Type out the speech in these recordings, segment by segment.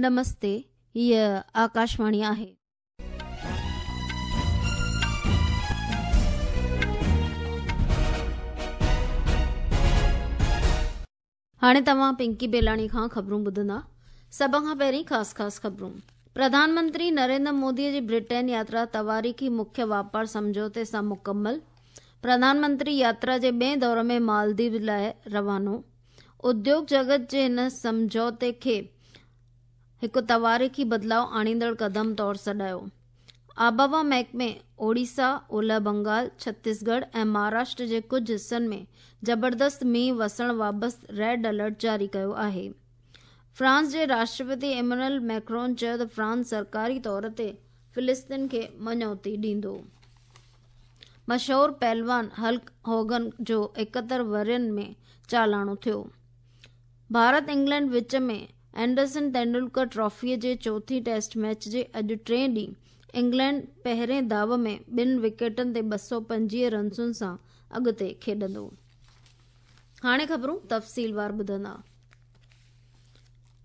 نمستي، هيء آڪاشواڻي آهي. هاڻي توهان پنڪي بيلاڻي کان خبرون ٻڌندا. سڀ کان پهرين خاص خاص خبرون. پرڌان منتري نريندر مودي جي برٽين ياترا تواريخي مکيه واپار سمجهوتي سان مڪمل. پرڌان منتري ياترا جي ٻئي دور ۾ مالديپ لاء روانو. اديوگ جڳت جي هن سمجهوتي کي هڪ تواريخي بدلاء آڻيندڙ قدم طور سڏايو. آبهوا محڪمي اوڙيسا، اولهه بنگال، ڇتيسڳڙهه ۽ مهاراشٽر جي ڪجهه حصن ۾ زبردست مينهن وسڻ بابت ريڊ الرٽ جاري ڪيو آهي. فرانس جي راشٽرپتي ايمانوئل ميڪرون چيو ته فرانس سرڪاري طور تي فلسطين کي مڃوتي ڏيندو. مشهور پهلوان هلڪ هوگن جو 71 ورهين ۾ چالاڻو ٿيو. ڀارت انگلينڊ وچ ۾ اينڊرسن ٽينڊولڪر ٽرافي جي چوٿين ٽيسٽ ميچ جي اڄ ٽئين ڏينهن انگلينڊ پهرين داء ۾ ٻن وڪيٽن تي 225 رنسن سان اڳتي کيڏندو. هاڻي خبرون تفصيلوار ٻڌندا.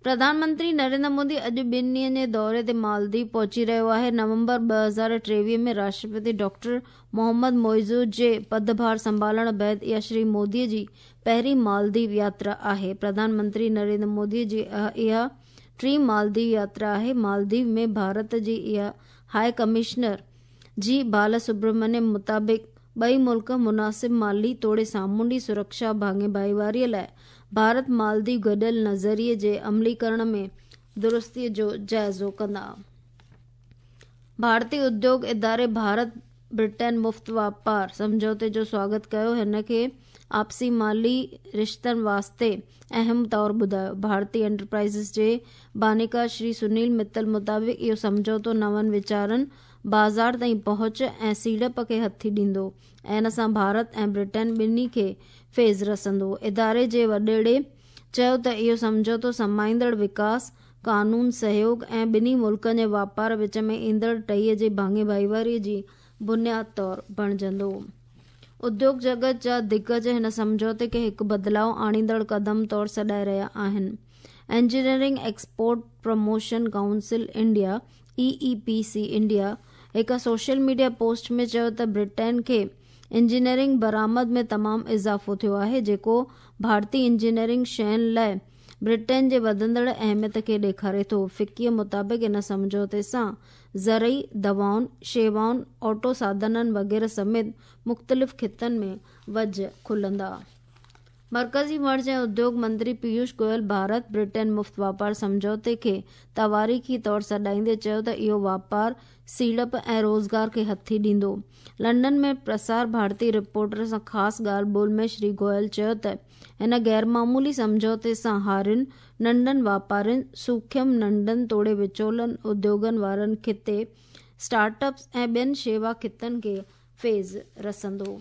پرڌان منتري نريندر مودي اڄ ٻن ڏينهن جي دوري تي مالديپ پهچي رهيو آهي. نومبر 2023 ۾ راشٽرپتي ڊاڪٽر محمد معيزو جي پدڀار سنڀالڻ بعد اها شري مودي جي پهرين مالديپ ياترا آهي. پرڌان منتري نريندر مودي جي اها ٽين مالديپ ياترا آهي. مالديپ ۾ ڀارت جي اها هاء ڪمشنر جي بالاسبرمنيم مطابق ٻئي ملڪ مناسب مالي توڙي سامونڊي سرڪشا ڀاڱي ڀائيواري لاء ڀارت مالديپ گڏيل نظريي جي عملي ڪرڻ ۾ درستي جو جائزو ڪندا. ڀارتي اديوگ اداري ڀارت برٽين مفت واپار سمجهوتي جو سواگت ڪيو، هن کي آپسي مالي رشتن واسطي اهم طور ٻڌايو. ڀارتي انٽرپرائيزز جي بانيڪار شري سنيل متل مطابق اهو سمجهوتو نون ويچارن، بازار تائين پهچ ۽ سيڙپ کي هٿي ڏيندو ۽ ان سان ڀارت ۽ برٽين ٻنهي کي فيض رسندو. اداري جي وڏيري چيو ته اهو سمجهوتو سمائيندڙ وڪاس، قانون سهيوڳ ۽ ٻنهي ملڪن جي واپار وچ ۾ ايندڙ ٽهيء جي ڀاڱي ڀائيواري جي بنياد طور بڻجندو. اديوگ جڳت جا دگج هن سمجهوتي کي هڪ بدلاء آڻيندڙ قدم طور سڏائي رهيا آهن. Engineering export promotion council India, E E P C India, هڪ سوشل ميڊيا پوسٽ ۾ چيو ته برٽين کي انجنيئرنگ برآمد ۾ تمام اضافو ٿيو آهي جيڪو ڀارتي انجنيئرنگ شين لاء برٽين جي وڌندڙ اهميت کي ڏيکاري ٿو. فڪيء مطابق ان سمجهوتي سان زرعي، دوائن، شيوائن، آٽو ساڌنن وغيره سميت مختلف خطن ۾ وجهه کلندا. مرڪزي وڻج ۽ اديوگ منتري پيوش گويل ڀارت برٽين مفت واپار سمجهوتي کي تواريخي طور سڏائيندي چيو ته اهو واپار، سيڙپ ۽ روزگار کي هٿي ڏيندو. لنڊن ۾ پرسار ڀارتي رپورٽر سان خاص ڳالهه ٻولهه ۾ شري گويل چيو ته هن غيرمعمولي سمجهوتي سان هارين، ننڍن واپارين، سوکيم، ننڍن توڙي وچولن اديوگن وارن خطي، اسٽارٽ اپس ۽ ٻين شيوا خطن کي فيض رسندو.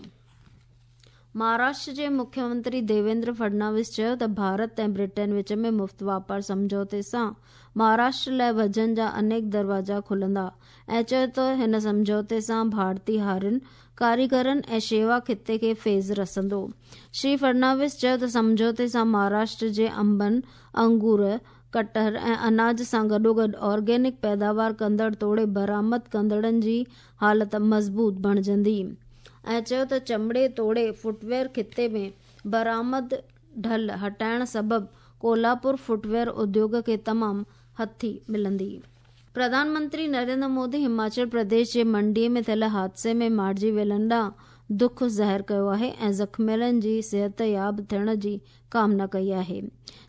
مهاراشٽر جي مکيه منتري ديويندر فڊناويس چيو ته ڀارت ۽ برٽين وچ ۾ مفت واپار سمجهوتي سان مهاراشٽر لاء وجهن جا انيڪ دروازا کلندا ۽ چيو ته هن سمجهوتي سان ڀارتي هارين، ڪاريگرن ۽ شيوا خطي کي فيض رسندو. شري فڊناويس چيو ته سمجهوتي سان مهاراشٽر جي انبن، انگور، ڪٽهر ۽ اناج سان گڏوگڏ آرگينڪ پيداوار ڪندڙ توڙي برآمد ڪندڙن جي حالت مضبوط بڻجندي ۽ چيو ته چمڙي توڙي فٽ ويئر خطي ۾ برآمد ڍل هٽائڻ سبب ڪولهاپور فٽ ويئر اديوگ کي تمام هٿي ملندي. پرڌان منتري نريندر مودي هماچل پرديش جي منڊي ۾ ٿيل حادثي ۾ مارجي ويلن ڏانهن دک ظاهر ڪيو آهي ۽ زخميلن جي صحتياب ٿيڻ جي ڪامنا ڪئي آهي.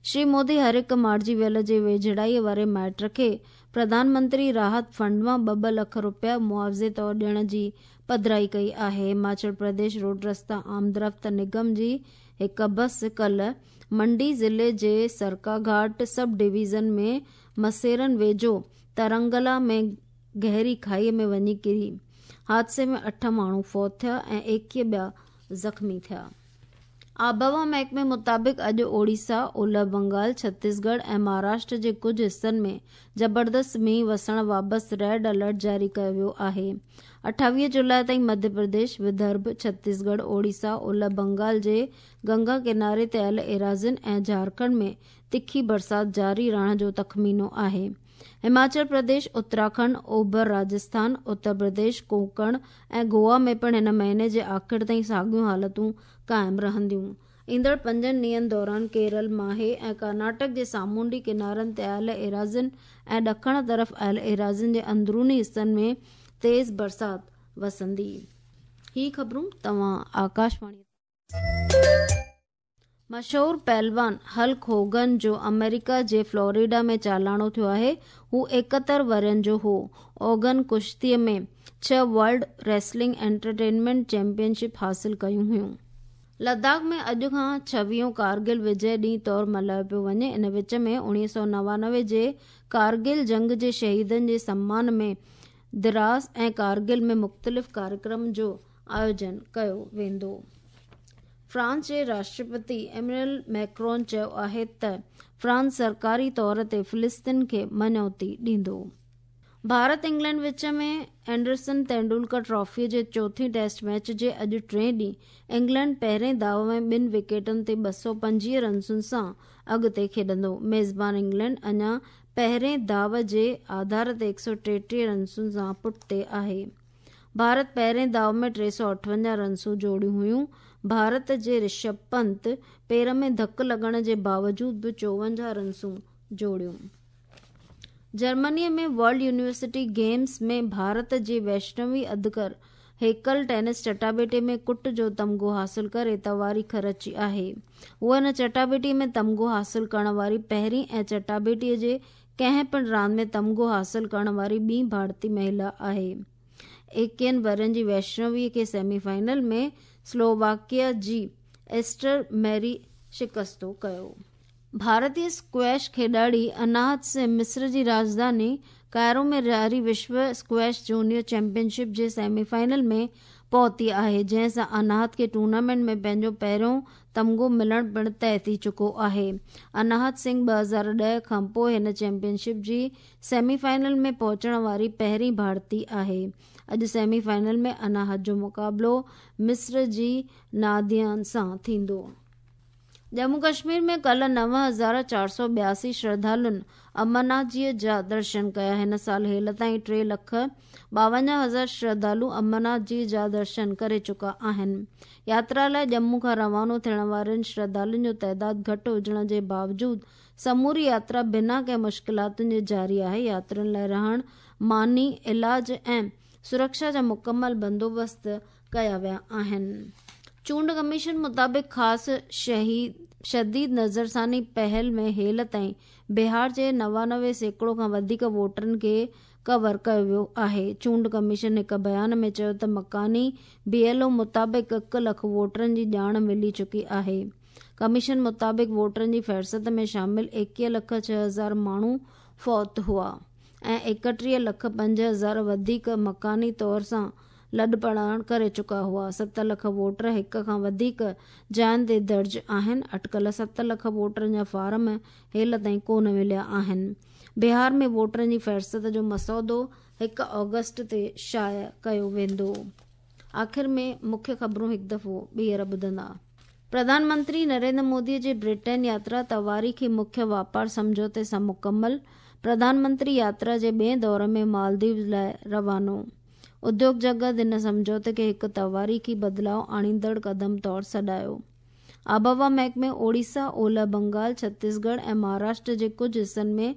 شري مودي هر هڪ مارجي ويل جي ويجهڙائي واري مائٽ کي پرڌان منتري راحت فنڊ مان ٻه ٻه لک رپيا معاوضي طور ڏيڻ جي پڌرائي ڪئي آهي. هماچل پرديش روڊ رستا آمدرفت نگم جي هڪ بس ڪلهه منڊي ضلعي جي سرڪاگهاٽ سب ڊويزن ۾ مسيرن ويجهو ترنگلا ۾ گهري کاهي ۾ وڃي ڪري. حادثي ۾ اٺ ماڻهو فوت ٿيا ۽ 21 ٻيا زخمي ٿيا. آبهوا محڪمي مطابق اڄ اوڙيسا، اولهه بنگال، ڇتيسڳڙهه ۽ مهاراشٽر جي ڪجهه حصن ۾ زبردست مينهن وسڻ بابت ريڊ الرٽ جاري ڪيو ويو آهي. 28 جولاء تائين مڌيه پرديش، ودرڀ، ڇتيسڳڙهه، اوڙيسا، اولهه بنگال جي گنگا ڪناري تي آيل ايراضين ۽ جهارکنڊ ۾ تکي برسات جاري رهڻ جو تخمينو آهي. هماچل پرديش، اتراکنڊ، اوڀر راجسٿان، اتر پرديش، ڪونڪڻ ۽ گوا ۾ پڻ هن مهيني جي آخر تائين ساڳيون حالتون قائم رهنديون. ايندڙ پنجن ڏينهن دوران ڪيرل، ماهي ۽ ڪرناٽڪ جي سامونڊي ڪنارن تي آيل ايراضين ۽ ڏکڻ طرف آيل ايراضين جي اندروني حصن ۾ تيز برسات وسندي. هي خبرون توهان آڪاشواڻي. مشهور پهلوان هلڪ هوگن جو آمريڪا جي فلوريڊا ۾ چالاڻو ٿيو آهي. هو 71 ورهين جو هو. هوگن ڪشتي ۾ ڇهه world wrestling entertainment champion ship حاصل ڪيون هيون. لداخ ۾ اڄ کان ڇويهون ڪارگل وجئه ڏينهن طور ملهايو پيو وڃي. ان وچ ۾ 1999 جي ڪارگل جنگ جي شهيدن جي سمان ۾ دراس ۽ ڪارگل ۾ مختلف ڪاريڪرم جو آيوجن ڪيو ويندو. فرانس جي راشٽرپتي ايمينوئل ميڪرون چيو آهي ته فرانس سرڪاري طور تي فلسطين کي مڃوتي ڏيندو. ڀارت انگلينڊ وچ ۾ اينڊرسن تينڊولڪر ٽرافي جي چوٿين ٽيسٽ ميچ جي اڄ ٽئين ڏينهن انگلينڊ پهرين داء ۾ ٻن وڪيٽن تي 225 رنسن سان اڳتي کيڏندو. ميزبان انگلينڊ اڃا پهرين داء جي آڌار تي 133 رنسن سان پٺتي آهي. ڀارت پهرين داء ۾ 358 رنسون جوڙيون هيون. ڀارت جي رشڀ پنت پير ۾ ڌڪ لڳڻ جي باوجود به 54 رنسون جوڙيون. Germany ۾ world university games ۾ Bharat جي ويشنوي ادڪر هيڪل ٽينس چٽاڀيٽي ۾ ڪٽ جو تمغو حاصل ڪري تواريخ رچي آهي. هوء هن چٽاڀيٽي ۾ تمغو حاصل ڪرڻ واري پهرين ۽ چٽاڀيٽي جي ڪنهن پڻ راند ۾ تمغو حاصل ڪرڻ واري ٻي ڀارتي مهلا آهي. ايڪيهن ورهين جي ويشنوي کي سيمي فائنل ۾ سلوواڪيا جي ايسٽر ميري شڪستو ڪيو. ڀارتي اسڪويش کيڏاڙي اناهت سنگهه مصر جي راڄڌاني ڪائرو ۾ جاري وشو اسڪويش جونيئر چيمپيئن شپ جي سيمي فائنل ۾ پهتي آهي جنهن سان اناهت کي ٽورنامينٽ ۾ پنهنجو پهريون تمغو ملڻ پڻ طئي ٿي چڪو آهي. اناهت سنگهه 2010 کانپوء هن چيمپيئن شپ جي سيمي فائنل ۾ پهچڻ واري پهرين ڀارتي آهي. اڄ سيمي فائنل ۾ اناهت جو مقابلو مصر جي ناديان سان ٿيندو. ڄمون ڪشمير ۾ ڪلهه 9482 شرڌالن امرناٿ جي جا درشن ڪيا. هن سال هيل تائين 3 لک 52 هزار شرڌالو امرناٿ جي جا درشن ڪري چڪا آهن. ياترا لاء ڄمون کان روانو ٿيڻ وارن شرڌالن جو تعداد گهٽ هجڻ جي باوجود سموري ياترا بنا ڪنهن مشڪلاتن جي جاري آهي. ياترين لاء رهڻ، ماني، علاج ۽ سرڪشا جا مڪمل بندوبست ڪيا ويا آهن. چونڊ ڪميشن مطابق خاص شديد نظرثاني پهل ۾ هيل تائين بهار جي 99% کان وڌيڪ ووٽرن کي ڪور ڪيو ويو آهي. چونڊ ڪميشن هڪ بيان ۾ چيو ته مڪاني بي ايل او مطابق 1 لک ووٽرن جي ڄاڻ ملي چڪي آهي. ڪميشن مطابق ووٽرن جي فهرست ۾ شامل 21 لک 6 هزار ماڻهو فوت هئا ۽ 31 لک 5 هزار وڌيڪ مڪاني طور سان لڏپلاڻ ڪري چڪا هئا. 7 لک ووٽر هڪ کان وڌيڪ جاين تي درج آهن. اٽڪل 7 لک ووٽرن جا فارم هيل تائين ڪونه مليا آهن. بهار ۾ ووٽرن جي فهرست جو مسودو 1 آگسٽ تي شايع ڪيو ويندو. آخر ۾ مکيه خبرون هڪ دفعو ٻيهر ٻڌندا. پرڌان منتري نريندر مودي جي برٽين ياترا تواريخي مکيه واپار سمجهوتي سان مڪمل، پرڌان منتري ياترا جي ٻئي دور ۾ مالديپ لاء روانو. اديوگ جڳت هن سمجهوتي کي هڪ تواريخي بدلاء آڻيندڙ قدم طور سڏايو. آبهوا محڪمي اوڙيسا، اولهه بنگال، ڇتيسڳڙهه ۽ مهاراشٽر جي ڪجهه حصن ۾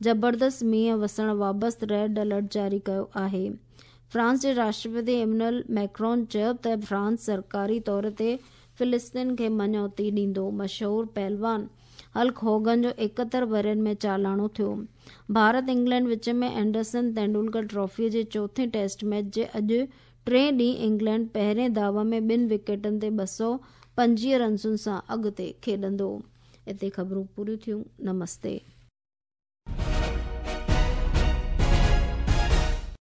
زبردست مينهن وسڻ بابت ريڊ الرٽ جاري ڪيو آهي. فرانس جي راشٽرپتي ايمنوئل ميڪرون چيو ته فرانس سرڪاري طور تي فلسطين کي مڃوتي ڏيندو. مشهور پهلوان هلڪ هوگن جو 71 ورهين ۾ چالاڻو ٿيو. ڀارت انگلينڊ وچ ۾ اينڊرسن تينڊولڪر ٽرافي جي چوٿين ٽيسٽ ميچ جي اڄ ٽئين ڏينهن انگلينڊ پهرين داء ۾ ٻن وڪيٽن تي 225 رنسن سان اڳتي کيڏندو. اتي خبرون پوريون ٿيون. نمستي.